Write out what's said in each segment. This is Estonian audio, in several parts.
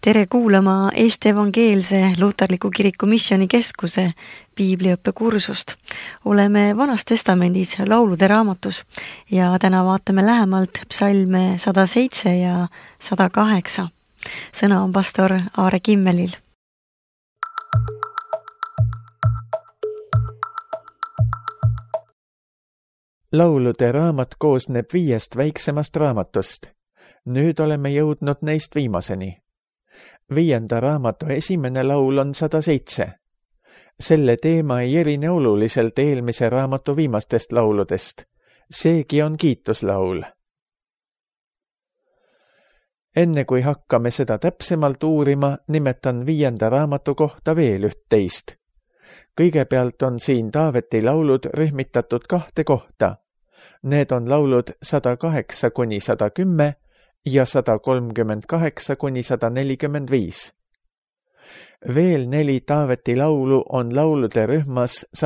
Tere kuulama Eesti Evangeelse Luterliku Kiriku Missioonikeskuse piibliõppekursust. Oleme Vanas Testamendis laulude raamatus ja täna vaatame lähemalt psalme 107 ja 108. Sõna on pastor Aare Kimmelil. Laulude raamat koosneb 5 väiksemast raamatust. Nüüd oleme jõudnud neist viimaseni. 5. raamatu esimene laul on 107. Selle teema ei erine oluliselt eelmise raamatu viimastest lauludest. Seegi on kiituslaul. Enne kui hakkame seda täpsemalt uurima, nimetan 5. raamatu kohta veel 11. Kõigepealt on siin Taaveti laulud rühmitatud 2 kohta. Need on laulud 108-110 ja 138-145. Veel 4 Taaveti laulu on laulude rühmas 120-134,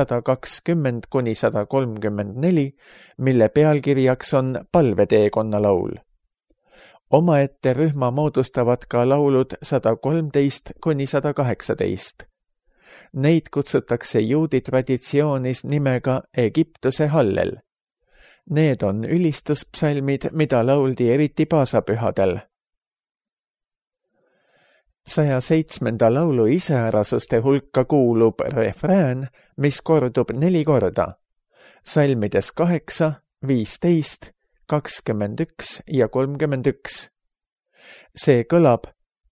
mille pealkirjaks on palveteekonna laul. Omaette rühma moodustavad ka laulud 113-118. Neid kutsutakse juudi traditsioonis nimega Egiptuse hallel. Need on ülistuspsalmid, mida lauldi eriti paasapühadel. 107. laulu iseärasuste hulka kuulub refrään, mis kordub 4 korda. Salmides 8, 15, 21 ja 31. See kõlab: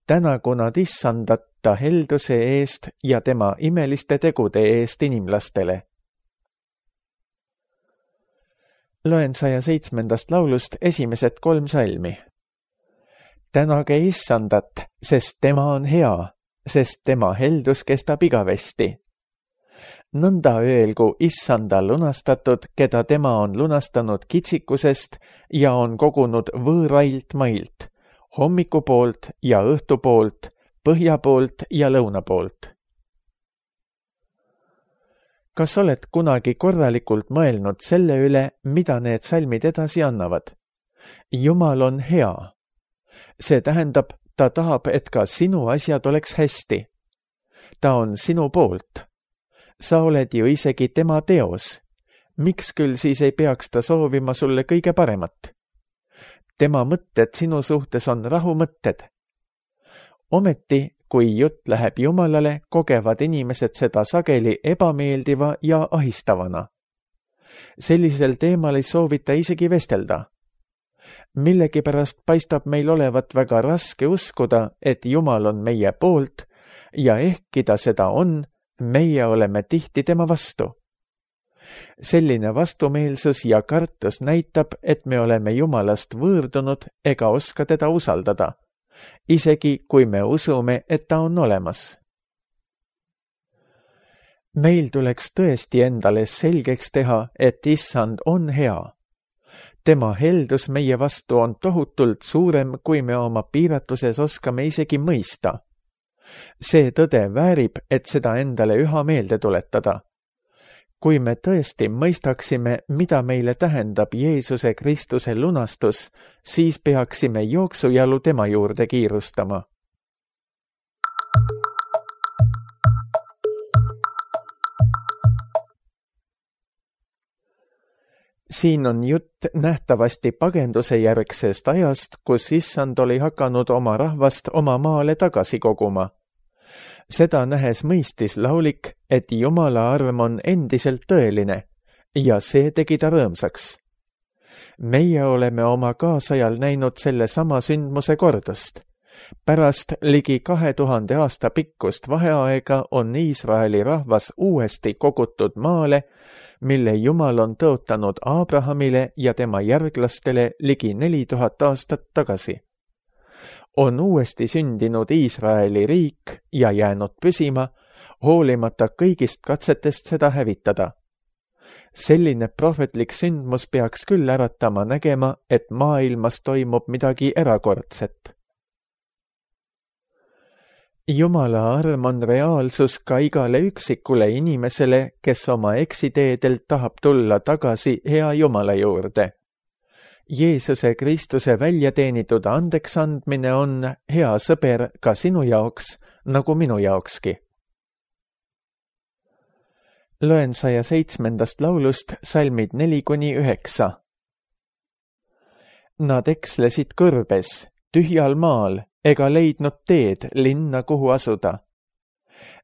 tänagu nad issandat ta helduse eest ja tema imeliste tegude eest inimlastele. Loen 107. laulust esimesed 3 salmi. Tänage issandat, sest tema on hea, sest tema heldus kestab igavesti. Nõnda öelgu issanda lunastatud, keda tema on lunastanud kitsikusest ja on kogunud võõrailt mailt, hommikupoolt ja õhtupoolt, põhjapoolt ja lõunapoolt. Kas oled kunagi korralikult mõelnud selle üle, mida need salmid edasi annavad? Jumal on hea. See tähendab, ta tahab, et ka sinu asjad oleks hästi. Ta on sinu poolt. Sa oled ju isegi tema teos. Miks küll siis ei peaks ta soovima sulle kõige paremat? Tema mõtted sinu suhtes on rahumõtted. Ometi, kui jutt läheb Jumalale, kogevad inimesed seda sageli ebameeldiva ja ahistavana. Sellisel teemal ei soovita isegi vestelda. Millegipärast paistab meil olevat väga raske uskuda, et Jumal on meie poolt ja ehkki ta seda on, meie oleme tihti tema vastu. Selline vastumeelsus ja kartus näitab, et me oleme Jumalast võõrdunud ega oska teda usaldada. Isegi kui me usume, et ta on olemas. Meil tuleks tõesti endale selgeks teha, et issand on hea. Tema heldus meie vastu on tohutult suurem, kui me oma piiratuses oskame isegi mõista. See tõde väärib, et seda endale üha meelde tuletada. Kui me tõesti mõistaksime, mida meile tähendab Jeesuse Kristuse lunastus, siis peaksime jooksujalu tema juurde kiirustama. Siin on jutt nähtavasti pagenduse järgsest ajast, kus issand oli hakanud oma rahvast oma maale tagasi koguma. Seda nähes mõistis laulik, et Jumala arm on endiselt tõeline ja see tegi ta rõõmsaks. Meie oleme oma kaasajal näinud selle sama sündmuse kordust. Pärast ligi 2000 aasta pikkust vaheaega on Iisraeli rahvas uuesti kogutud maale, mille Jumal on tõotanud Abrahamile ja tema järglastele ligi 4000 aastat tagasi. On uuesti sündinud Iisraeli riik ja jäänud püsima, hoolimata kõigist katsetest seda hävitada. Selline prohvetlik sündmus peaks küll äratama nägema, et maailmas toimub midagi erakordset. Jumala arm on reaalsus ka igale üksikule inimesele, kes oma eksiteedelt tahab tulla tagasi hea Jumala juurde. Jeesuse Kristuse välja teenitud andeksandmine on, hea sõber, ka sinu jaoks, nagu minu jaokski. Loen 107. laulust salmid 4-9. Nad ekslesid kõrbes, tühjal maal, ega leidnud teed linna, kuhu asuda.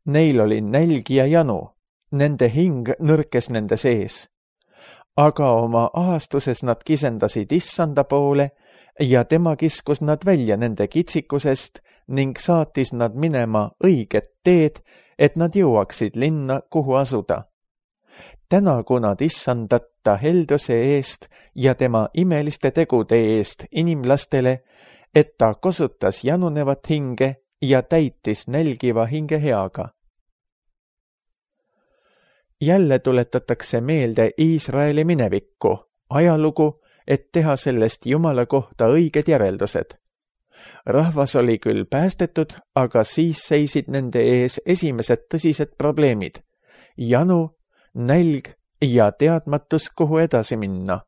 Neil oli nälg ja janu, nende hing nõrkes nende sees. Aga oma ahastuses nad kisendasid Issanda poole ja tema kiskus nad välja nende kitsikusest ning saatis nad minema õiget teed, et nad jõuaksid linna, kuhu asuda. Tänagu nad Issandata helduse eest ja tema imeliste tegude eest inimlastele, et ta kosutas janunevat hinge ja täitis nälgiva hinge heaga. Jälle tuletatakse meelde Iisraeli minevikku, ajalugu, et teha sellest Jumala kohta õiged järeldused. Rahvas oli küll päästetud, aga siis seisid nende ees esimesed tõsised probleemid. Janu, nälg ja teadmatus, kuhu edasi minna.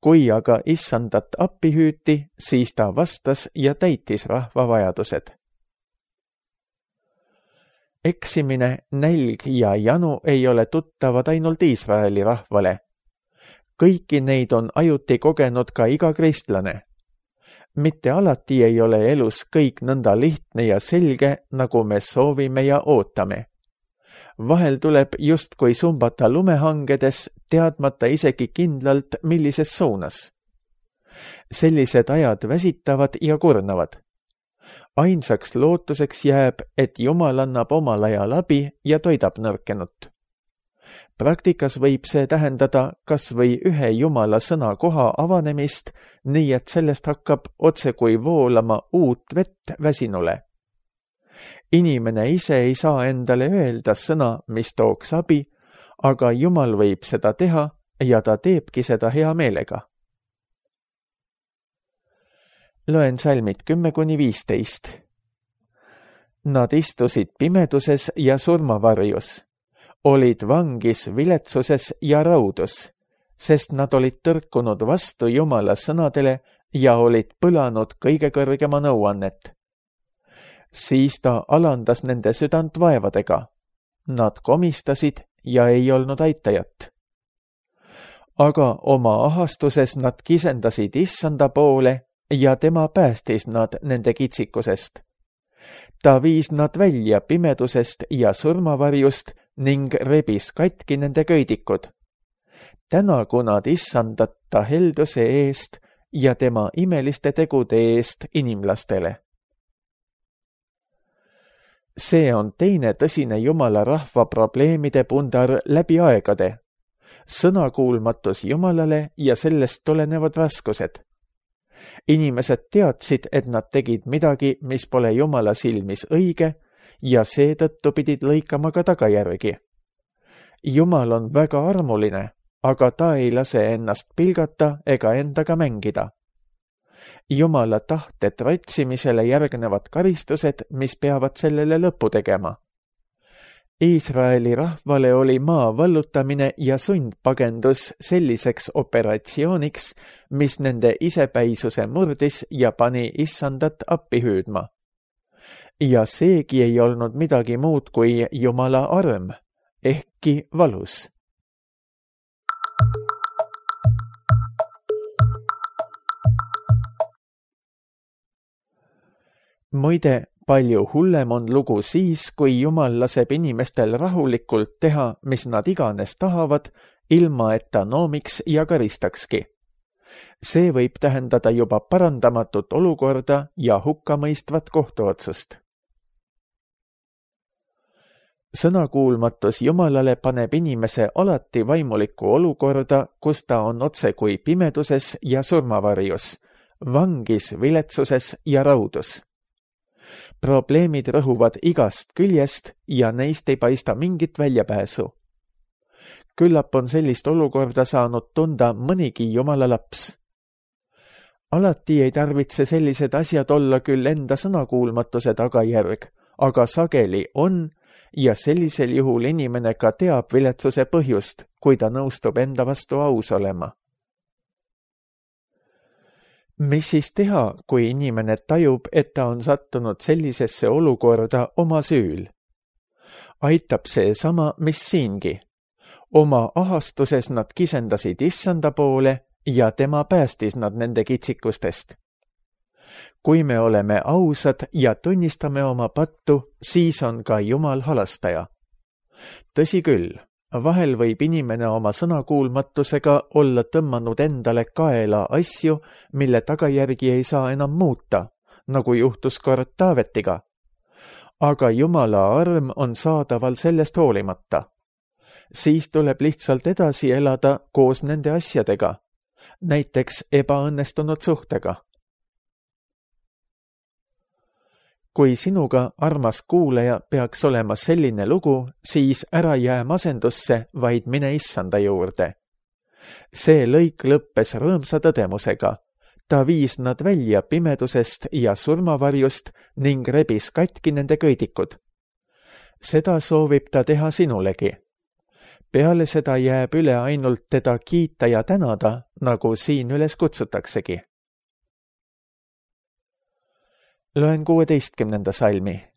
Kui aga Issandat appi hüüti, siis ta vastas ja täitis rahva vajadused. Eksimine, nälg ja janu ei ole tuttavad ainult Iisraeli rahvale. Kõiki neid on ajuti kogenud ka iga kristlane. Mitte alati ei ole elus kõik nõnda lihtne ja selge, nagu me soovime ja ootame. Vahel tuleb justkui sumbata lumehangedes, teadmata isegi kindlalt, millises suunas. Sellised ajad väsitavad ja kurnavad. Ainsaks lootuseks jääb, et Jumal annab omal ajal abi ja toidab nõrkenut. Praktikas võib see tähendada kas või ühe Jumala sõna koha avanemist, nii et sellest hakkab otse kui voolama uut vett väsinule. Inimene ise ei saa endale öelda sõna, mis tooks abi, aga Jumal võib seda teha ja ta teebki seda hea meelega. Loen salmid 10-15. Nad istusid pimeduses ja surmavarjus, olid vangis viletsuses ja raudus, sest nad olid tõrkunud vastu Jumala sõnadele ja olid põlanud kõige kõrgema nõuannet. Siis ta alandas nende südant vaevadega. Nad komistasid ja ei olnud aitajat. Aga oma ahastuses nad kisendasid Issanda poole ja tema päästis nad nende kitsikusest. Ta viis nad välja pimedusest ja surmavarjust ning rebis katki nende köidikud. Tänagu nad Issandata helduse eest ja tema imeliste tegude eest inimlastele. See on teine tõsine Jumala rahva probleemide pundar läbi aegade. Sõnakuulmatus Jumalale ja sellest tulenevad raskused. Inimesed teadsid, et nad tegid midagi, mis pole Jumala silmis õige ja seetõttu pidid lõikama ka tagajärgi. Jumal on väga armuline, aga ta ei lase ennast pilgata ega endaga mängida. Jumala tahte trotsimisele järgnevad karistused, mis peavad sellele lõpu tegema. Iisraeli rahvale oli maa vallutamine ja sundpagendus selliseks operatsiooniks, mis nende isepäisuse murdis ja pani Issandat appi hüüdma. Ja seegi ei olnud midagi muud kui Jumala arm, ehkki valus. Muide, palju hullem on lugu siis, kui Jumal laseb inimestel rahulikult teha, mis nad iganes tahavad, ilma et ta noomiks ja karistakski. See võib tähendada juba parandamatut olukorda ja hukkamõistvat kohtuotsust. Sõnakuulmatus Jumalale paneb inimese alati vaimulikku olukorda, kus ta on otse kui pimeduses ja surmavarjus, vangis viletsuses ja raudus. Probleemid rõhuvad igast küljest ja neist ei paista mingit väljapääsu. Küllap on sellist olukorda saanud tunda mõnigi Jumala laps. Alati ei tarvitse sellised asjad olla küll enda sõnakuulmatuse tagajärg, aga sageli on ja sellisel juhul inimene ka teab viletsuse põhjust, kui ta nõustub enda vastu aus olema. Mis siis teha, kui inimene tajub, et ta on sattunud sellisesse olukorda oma süül? Aitab seesama, mis siingi. Oma ahastuses nad kisendasid Issanda poole ja tema päästis nad nende kitsikustest. Kui me oleme ausad ja tunnistame oma pattu, siis on ka Jumal halastaja. Tõsi küll, vahel võib inimene oma sõnakuulmatusega olla tõmmanud endale kaela asju, mille tagajärgi ei saa enam muuta, nagu juhtus kord Taavetiga. Aga Jumala arm on saadaval sellest hoolimata. Siis tuleb lihtsalt edasi elada koos nende asjadega, näiteks ebaõnnestunud suhtega. Kui sinuga, armas kuulaja, peaks olema selline lugu, siis ära jää masendusse, vaid mine Issanda juurde. See lõik lõppes rõõmsa tõdemusega. Ta viis nad välja pimedusest ja surmavarjust ning rebis katki nende köidikud. Seda soovib ta teha sinulegi. Peale seda jääb üle ainult teda kiita ja tänada, nagu siin üles kutsutaksegi. Loen 16. salmi.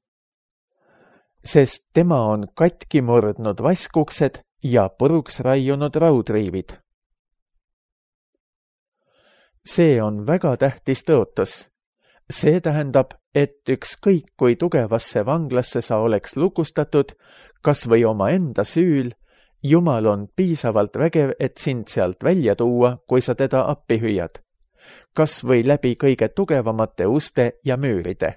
Sest tema on katki murdnud vaskuksed ja puruks raiunud raudriivid. See on väga tähtis tõotus. See tähendab, et ükskõik kui tugevasse vanglasse sa oleks lukustatud, kas või oma enda süül, Jumal on piisavalt vägev, et sind sealt välja tuua, kui sa teda appi hüüad. Kas või läbi kõige tugevamate uste ja müüride.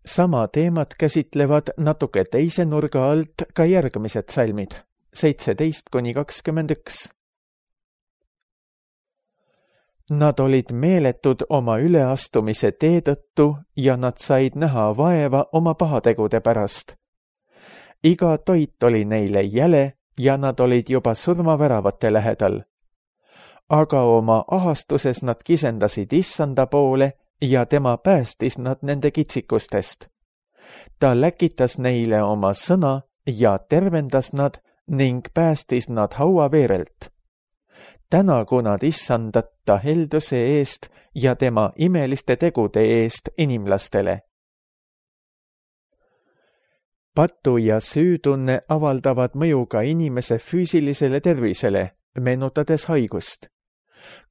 Sama teemat käsitlevad natuke teise nurga alt ka järgmised salmid, 17-21. Nad olid meeletud oma üleastumise tee tõttu ja nad said näha vaeva oma pahategude pärast. Iga toit oli neile jäle ja nad olid juba surmaväravate lähedal. Aga oma ahastuses nad kisendasid Issanda poole ja tema päästis nad nende kitsikustest. Ta läkitas neile oma sõna ja tervendas nad ning päästis nad hauaveerelt. Tänagu nad Issandat ta helduse eest ja tema imeliste tegude eest inimlastele. Patu ja süütunne avaldavad mõju ka inimese füüsilisele tervisele, meenutades haigust.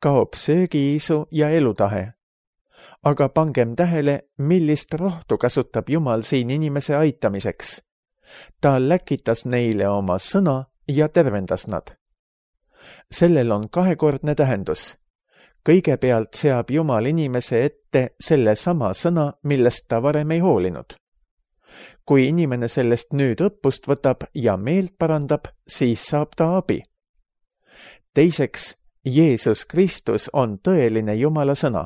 Kaob söögiisu ja elutahe. Aga pangem tähele, millist rohtu kasutab Jumal siin inimese aitamiseks. Ta läkitas neile oma sõna ja tervendas nad. Sellel on kahekordne tähendus. Kõigepealt seab Jumal inimese ette selle sama sõna, millest ta varem ei hoolinud. Kui inimene sellest nüüd õppust võtab ja meelt parandab, siis saab ta abi. Teiseks, Jeesus Kristus on tõeline Jumala sõna.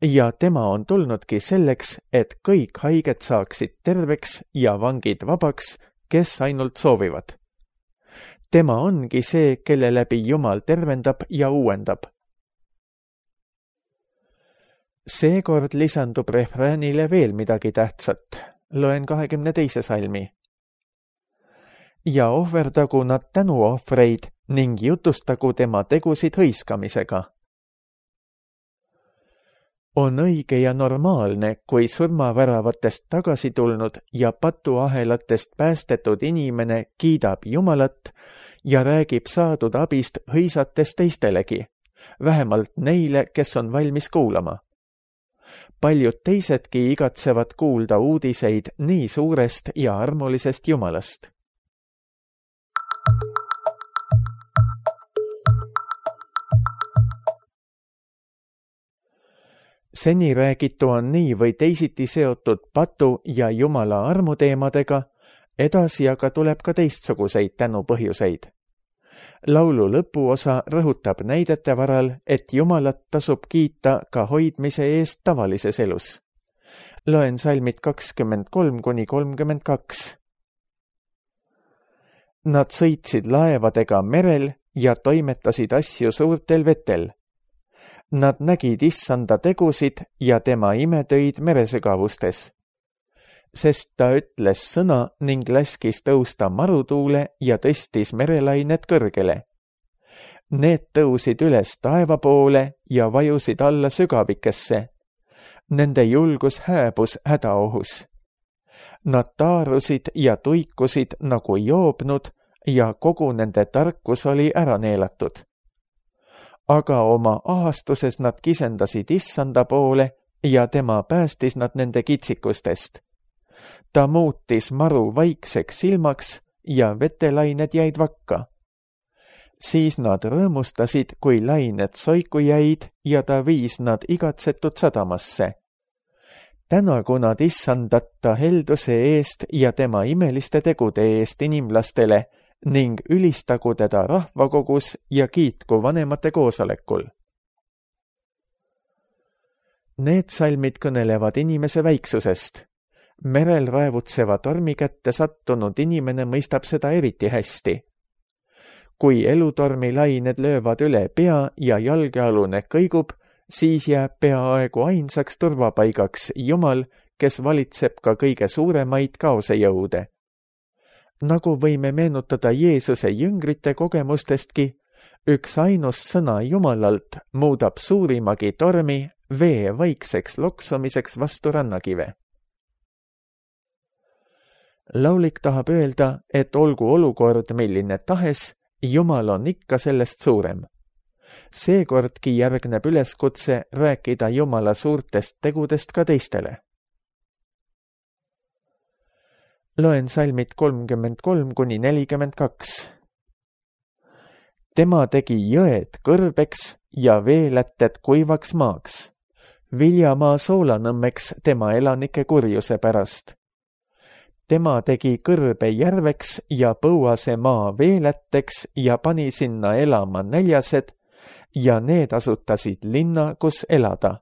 Ja tema on tulnudki selleks, et kõik haiged saaksid terveks ja vangid vabaks, kes ainult soovivad. Tema ongi see, kelle läbi Jumal tervendab ja uuendab. Seekord lisandub refräänile veel midagi tähtsat. Loen 22. salmi. Ja ohverdagu nad tänuohvreid ning jutustagu tema tegusid hõiskamisega. On õige ja normaalne, kui surmaväravatest tagasi tulnud ja patuahelatest päästetud inimene kiidab Jumalat ja räägib saadud abist hõisates teistelegi, vähemalt neile, kes on valmis kuulama. Paljud teisedki igatsevad kuulda uudiseid nii suurest ja armulisest Jumalast. Seni räägitu on nii või teisiti seotud patu ja Jumala armuteemadega, edasi aga tuleb ka teistsuguseid tänupõhjuseid. Laulu lõpuosa rõhutab näidete varal, et Jumalat tasub kiita ka hoidmise eest tavalises elus. Loen salmid 23-32. Nad sõitsid laevadega merel ja toimetasid asju suurtel vetel. Nad nägid Issanda tegusid ja tema imetöid meresügavustes. sest ta ütles sõna ning laskis tõusta marutuule ja tõstis merelained kõrgele. Need tõusid üles taeva poole ja vajusid alla sügavikesse. Nende julgus hääbus hädaohus. Nad taarusid ja tuikusid nagu joobnud ja kogu nende tarkus oli ära neelatud. Aga oma ahastuses nad kisendasid issanda poole ja tema päästis nad nende kitsikustest. Ta muutis maru vaikseks silmaks ja vetelained jäid vakka. Siis nad rõõmustasid, kui lained soiku jäid ja ta viis nad igatsetud sadamasse. Tänagu nad issandata helduse eest ja tema imeliste tegude eest inimlastele ning ülistagu teda rahvakogus ja kiitku vanemate koosolekul. Need salmid kõnelevad inimese väiksusest. Merel raevutseva tormi kätte sattunud inimene mõistab seda eriti hästi. Kui elutormi lained löövad üle pea ja jalgealune kõigub, siis jääb peaaegu ainsaks turvapaigaks Jumal, kes valitseb ka kõige suuremaid kaosejõude. Nagu võime meenutada Jeesuse jüngrite kogemustestki, üks ainus sõna Jumalalt muudab suurimagi tormi vee vaikseks loksumiseks vastu rannakive. Laulik tahab öelda, et olgu olukord milline tahes, Jumal on ikka sellest suurem. Seekordki järgneb üleskutse rääkida Jumala suurtest tegudest ka teistele. Loen salmid 33–42. Tema tegi jõed kõrbeks ja veelätted kuivaks maaks, viljamaa soolanõmmeks tema elanike kurjuse pärast. Tema tegi kõrbe järveks ja põuase maa veelätteks ja pani sinna elama näljased ja need asutasid linna, kus elada.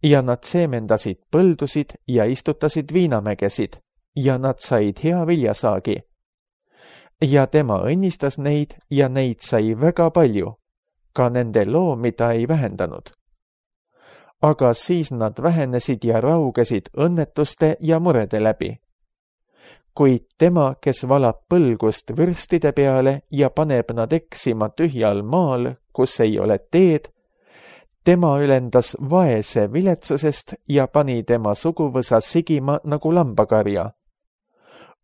Ja nad seemendasid põldusid ja istutasid viinamägesid ja nad said hea viljasaagi. Ja tema õnnistas neid ja neid sai väga palju, ka nende loomi ta ei vähendanud. Aga siis nad vähenesid ja raugesid õnnetuste ja murede läbi. Kuid tema, kes valab põlgust vürstide peale ja paneb nad eksima tühjal maal, kus ei ole teed, tema ülendas vaese viletsusest ja pani tema suguvõsa sigima nagu lambakarja.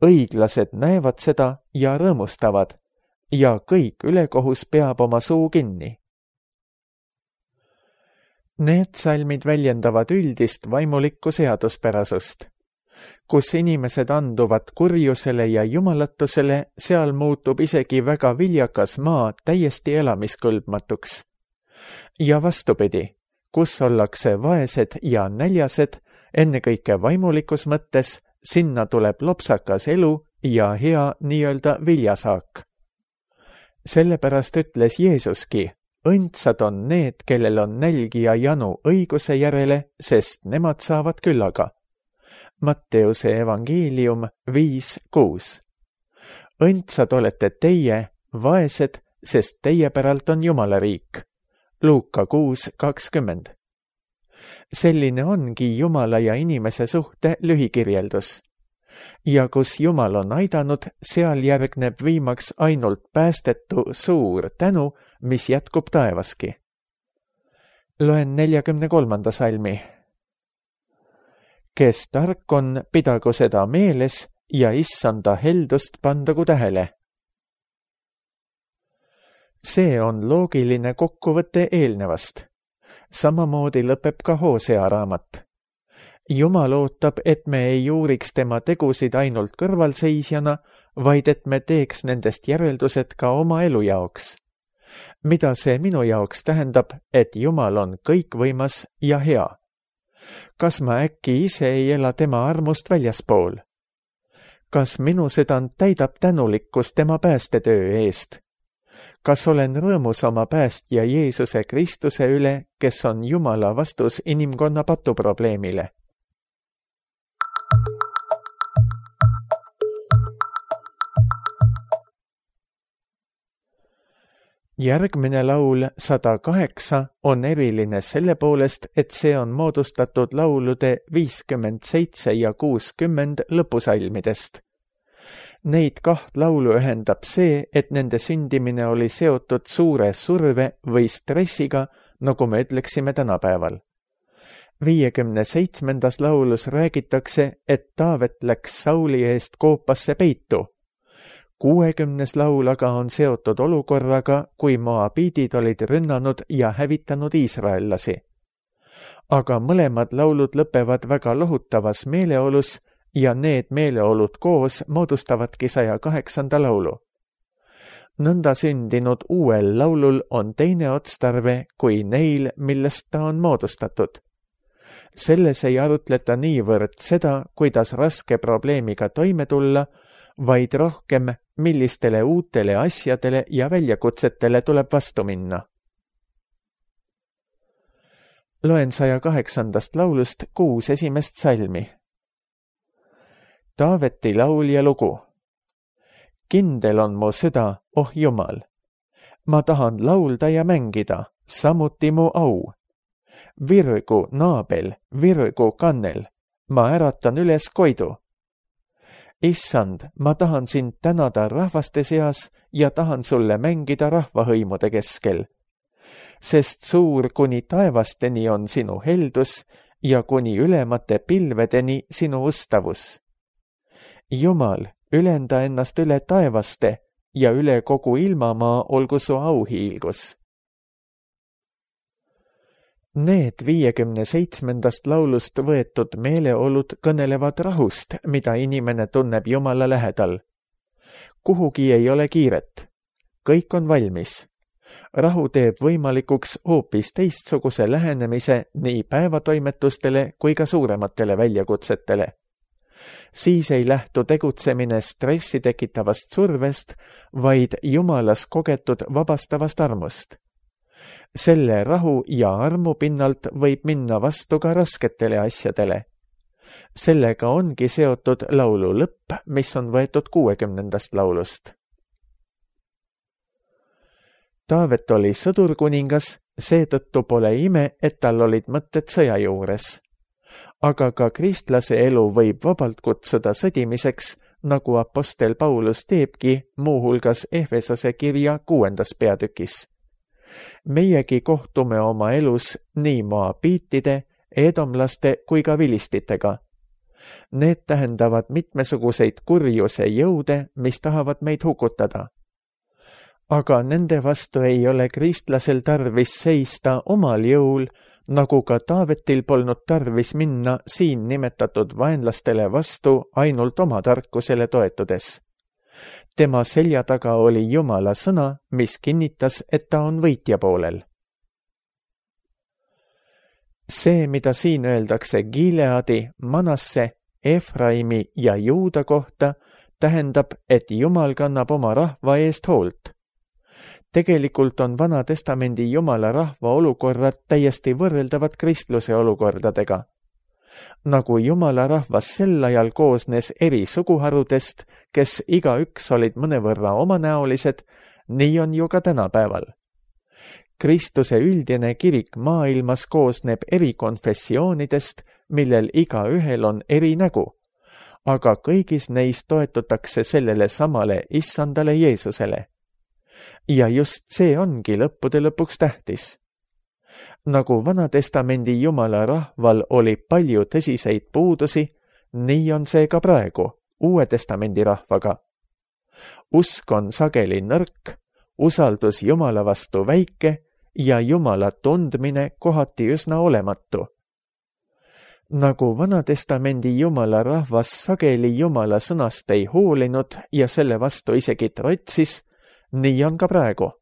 Õiglased näevad seda ja rõõmustavad ja kõik ülekohus peab oma suu kinni. Need salmid väljendavad üldist vaimulikku seaduspärasust. Kus inimesed anduvad kurjusele ja jumalatusele, seal muutub isegi väga viljakas maa täiesti elamiskõlbmatuks. Ja vastupidi, kus ollakse vaesed ja näljased, ennekõike vaimulikus mõttes, sinna tuleb lopsakas elu ja hea nii-öelda viljasaak. Sellepärast ütles Jeesuski, õndsad on need, kellel on nälg ja janu õiguse järele, sest nemad saavad küllaga. Matteuse evangeelium 5:6. Õndsad olete teie, vaesed, sest teie päralt on Jumala riik. Luuka 6:20. Selline ongi Jumala ja inimese suhte lühikirjeldus. Ja kus Jumal on aidanud, seal järgneb viimaks ainult päästetu suur tänu, mis jätkub taevaski. Loen 43. salmi. Kes tark on, pidagu seda meeles ja issanda heldust pandagu tähele. See on loogiline kokkuvõte eelnevast. Samamoodi lõpeb ka Hosea raamat. Jumal ootab, et me ei uuriks tema tegusid ainult kõrvalseisjana, vaid et me teeks nendest järeldused ka oma elu jaoks. Mida see minu jaoks tähendab, et Jumal on kõikvõimas ja hea? Kas ma äkki ise ei ela tema armust väljaspool? Kas minu südant täidab tänulikkus tema päästetöö eest? Kas olen rõõmus oma päästja Jeesuse Kristuse üle, kes on Jumala vastus inimkonna patuprobleemile? Järgmine laul 108 on eriline selle poolest, et see on moodustatud laulude 57 ja 60 lõpusalmidest. Neid kaht laulu ühendab see, et nende sündimine oli seotud suure surve või stressiga, nagu me ütleksime tänapäeval. 57. laulus räägitakse, et Taavet läks Sauli eest koopasse peitu. 60. laul aga on seotud olukorraga, kui moabiidid olid rünnanud ja hävitanud iisraellasi. Aga mõlemad laulud lõpevad väga lohutavas meeleolus ja need meeleolud koos moodustavadki 108. laulu. Nõnda sündinud uuel laulul on teine otstarve kui neil, millest ta on moodustatud. Selles ei arutleta niivõrd seda, kuidas raske probleemiga toime tulla, vaid rohkem, millistele uutele asjadele ja väljakutsetele tuleb vastu minna. Loen 108. laulust 6 esimest salmi. Taaveti laul ja lugu. Kindel on mu süda, oh Jumal. Ma tahan laulda ja mängida, samuti mu au. Virgu naabel, virgu kannel, ma äratan üles koidu. Issand, ma tahan sind tänada rahvaste seas ja tahan sulle mängida rahvahõimude keskel. Sest suur kuni taevasteni on sinu heldus ja kuni ülemate pilvedeni sinu ustavus. Jumal, ülenda ennast üle taevaste ja üle kogu ilmamaa olgu su auhiilgus. Need 57. laulust võetud meeleolud kõnelevad rahust, mida inimene tunneb Jumala lähedal. Kuhugi ei ole kiiret. Kõik on valmis. Rahu teeb võimalikuks hoopis teistsuguse lähenemise nii päevatoimetustele kui ka suurematele väljakutsetele. Siis ei lähtu tegutsemine stressi tekitavast survest, vaid Jumalas kogetud vabastavast armust. Selle rahu ja armu pinnalt võib minna vastu ka rasketele asjadele. Sellega ongi seotud laulu lõpp, mis on võetud 60. laulust. Taavet oli sõdurkuningas, seetõttu pole ime, et tal olid mõtted sõja juures. Aga ka kristlase elu võib vabalt kutsuda sõdimiseks, nagu apostel Paulus teebki muuhulgas Efesose kirja 6. peatükis. Meiegi kohtume oma elus nii moabiitide, edomlaste kui ka vilistitega. Need tähendavad mitmesuguseid kurjuse jõude, mis tahavad meid hukutada. Aga nende vastu ei ole kristlasel tarvis seista omal jõul, nagu ka Taavetil polnud tarvis minna siin nimetatud vaenlastele vastu ainult oma tarkusele toetudes. Tema selja taga oli Jumala sõna, mis kinnitas, et ta on võitja poolel. See, mida siin öeldakse Gileadi, Manasse, Efraimi ja Juuda kohta, tähendab, et Jumal kannab oma rahva eest hoolt. Tegelikult on Vana Testamendi Jumala rahva olukorrad täiesti võrreldavad kristluse olukordadega. Nagu Jumala rahvas sel ajal koosnes eri suguharudest, kes igaüks olid mõnevõrra omanäolised, nii on ju ka tänapäeval. Kristuse üldine kirik maailmas koosneb eri konfessioonidest, millel igaühel on eri nägu, aga kõigis neis toetutakse sellele samale issandale Jeesusele. Ja just see ongi lõppude lõpuks tähtis. Nagu Vana-testamendi Jumala rahval oli palju tõsiseid puudusi, nii on see ka praegu Uue testamendi rahvaga. Usk on sageli nõrk, usaldus Jumala vastu väike ja Jumala tundmine kohati üsna olematu. Nagu Vana-testamendi Jumala rahvas sageli Jumala sõnast ei hoolinud ja selle vastu isegi trotsis, nii on ka praegu.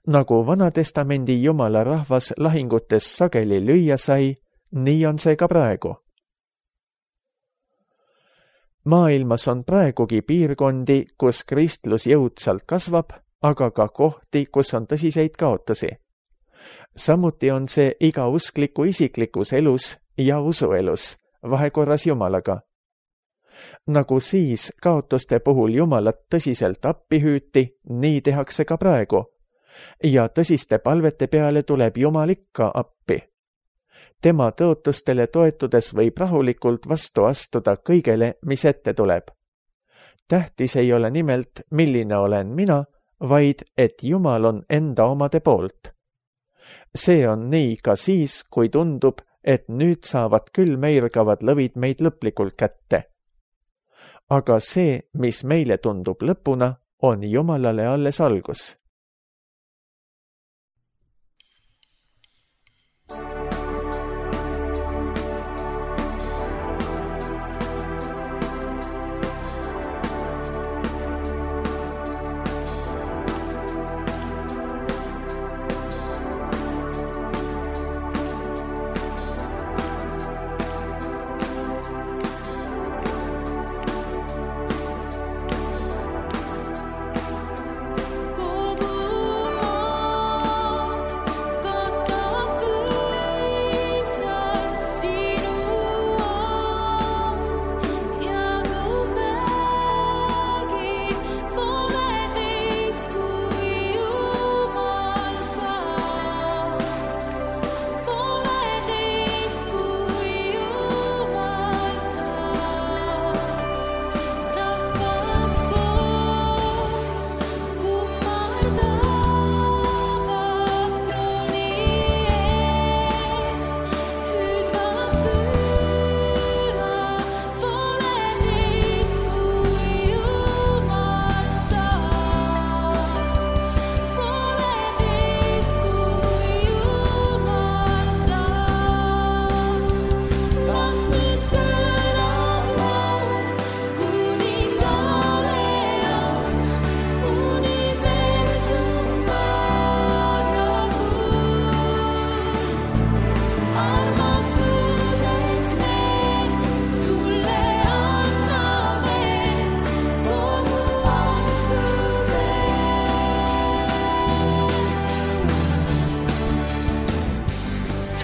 Nagu Vana-testamendi Jumala rahvas lahingutes sageli lüüa sai, nii on see ka praegu. Maailmas on praegugi piirkondi, kus kristlus jõudsalt kasvab, aga ka kohti, kus on tõsiseid kaotusi. Samuti on see iga uskliku isiklikus elus ja usuelus, vahekorras Jumalaga. Nagu siis kaotuste puhul Jumalat tõsiselt appi hüüti, nii tehakse ka praegu, ja tõsiste palvete peale tuleb Jumal ikka appi. Tema tõotustele toetudes võib rahulikult vastu astuda kõigele, mis ette tuleb. Tähtis ei ole nimelt, milline olen mina, vaid et Jumal on enda omade poolt. See on nii ka siis, kui tundub, et nüüd saavad küll meirgavad lõvid meid lõplikult kätte. Aga see, mis meile tundub lõpuna, on Jumalale alles algus.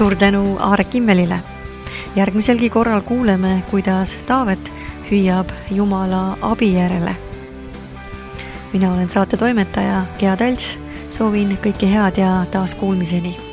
Suur tänu Aarek Immelile. Järgmiselgi korral kuuleme, kuidas Taavet hüüab Jumala abi järele. Mina olen saate toimetaja Gea Talts, soovin kõike head ja taas kuulmiseni.